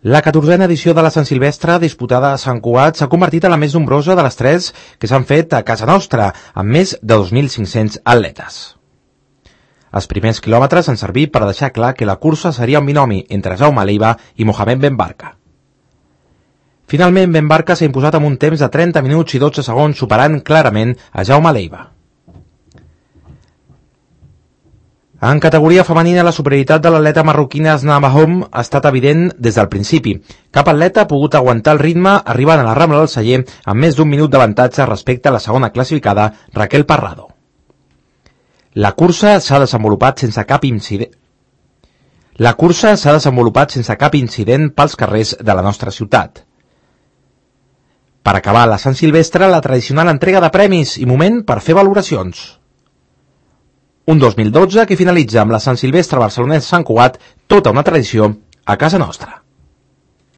La 14a edició de la Sant Silvestre, disputada a Sant Cugat, s'ha convertit en la més nombrosa de les 3 que s'han fet a casa nostra, amb més de 2.500 atletes. Els primers quilòmetres han servit per deixar clar que la cursa seria un binomi entre Jaume Leiva i Mohamed Ben Barka. Finalment, Ben Barka s'ha imposat amb un temps de 30 minuts i 12 segons, superant clarament a Jaume Leiva. En categoria femenina, la superioritat de l'atleta marroquina Asna Mahom ha estat evident des del principi. Cap atleta ha pogut aguantar el ritme arribant a la Rambla del Celler amb més d'un minut d'avantatge respecte a la segona classificada, Raquel Parrado. La cursa s'ha desenvolupat sense cap incident pels carrers de la nostra ciutat. Per acabar la Sant Silvestre, la tradicional entrega de premis i moment per fer valoracions. Un 2012 que finalitza amb la Sant Silvestre barcelonès Sant Cugat, tota una tradició a casa nostra.